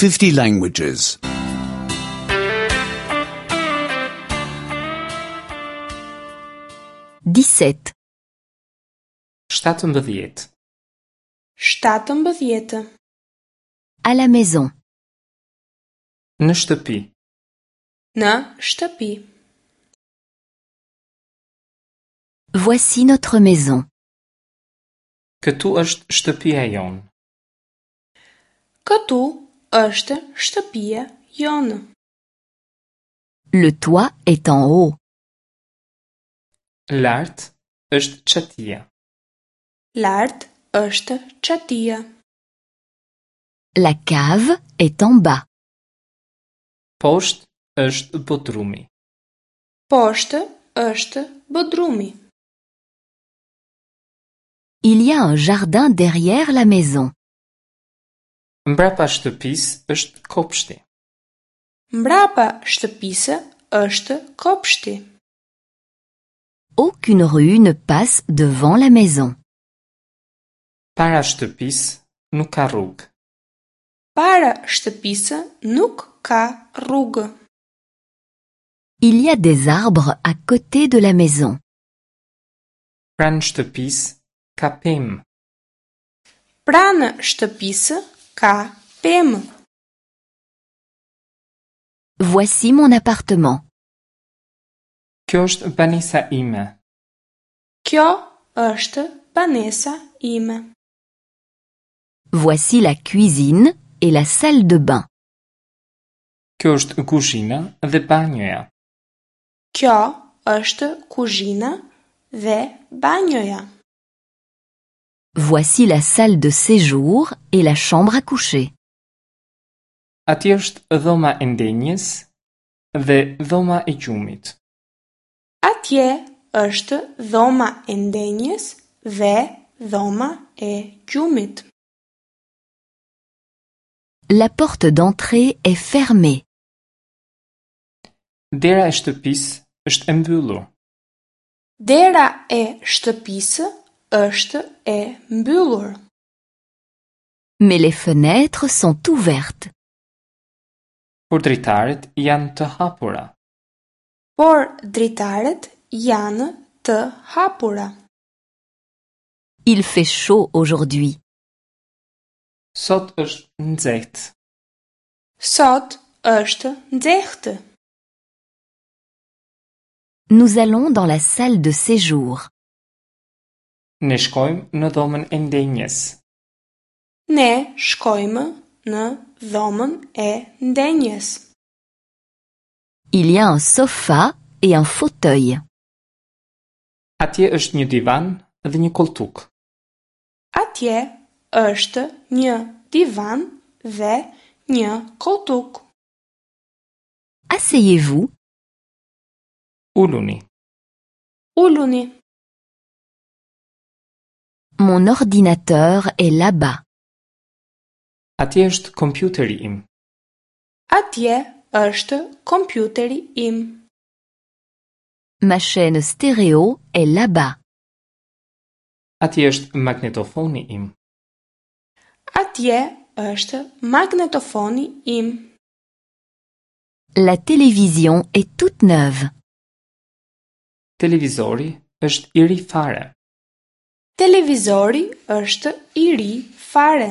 50 languages. 17. 17. 17. À la maison. Në shtëpi. Në shtëpi. Voici notre maison. Këtu është shtëpia jonë. Këtu është shtëpia jonë. Le toit est en haut. Lart është çatia. Lart është çatia. La cave est en bas. Poshtë është bodrumi. Poshtë është bodrumi. Il y a un jardin derrière la maison. Mbrapa shtëpisë është kopshti. Mbrapa shtëpisë është kopshti. Aucune rue ne passe devant la maison. Para shtëpisë nuk ka rrugë. Para shtëpisë nuk ka rrugë. Il y a des arbres à côté de la maison. Pranë shtëpisë ka pemë. Pranë shtëpisë ka pemë. Voici mon appartement. Kjo është banesa ime. Kjo është banesa ime. Voici la cuisine et la salle de bain. Kjo është kuzhina dhe banjoja. Kjo është kuzhina dhe banjoja. Voici la salle de séjour et la chambre à coucher. Atje është dhoma e ndenjes dhe dhoma e gjumit. Atje është dhoma e ndenjes dhe dhoma e gjumit. La porte d'entrée est fermée. Dera e shtëpisë është e mbyllur. Dera e shtëpisë është e mbyllur. Mais les fenêtres sont ouvertes. Por dritaret janë të hapura. Por dritaret janë të hapura. Il fait chaud aujourd'hui. Sot është nxehtë. Sot është nxehtë. Nous allons dans la salle de séjour. Ne shkojmë në dhomën e ndenjes. Ne shkojmë në dhomën e ndenjes. Il y a un sofa et un fauteuil. Atje është një divan dhe një koltuk. Atje është një divan dhe një koltuk. Asseyez-vous. Uluni. Uluni. Mon ordinateur est là-bas. Atje është kompjuteri im. Atje është kompjuteri im. Ma chaîne stéréo est là-bas. Atje është magnetofoni im. Atje është magnetofoni im. La télévision est toute neuve. Televizori është i ri fare. Televizori është i ri fare.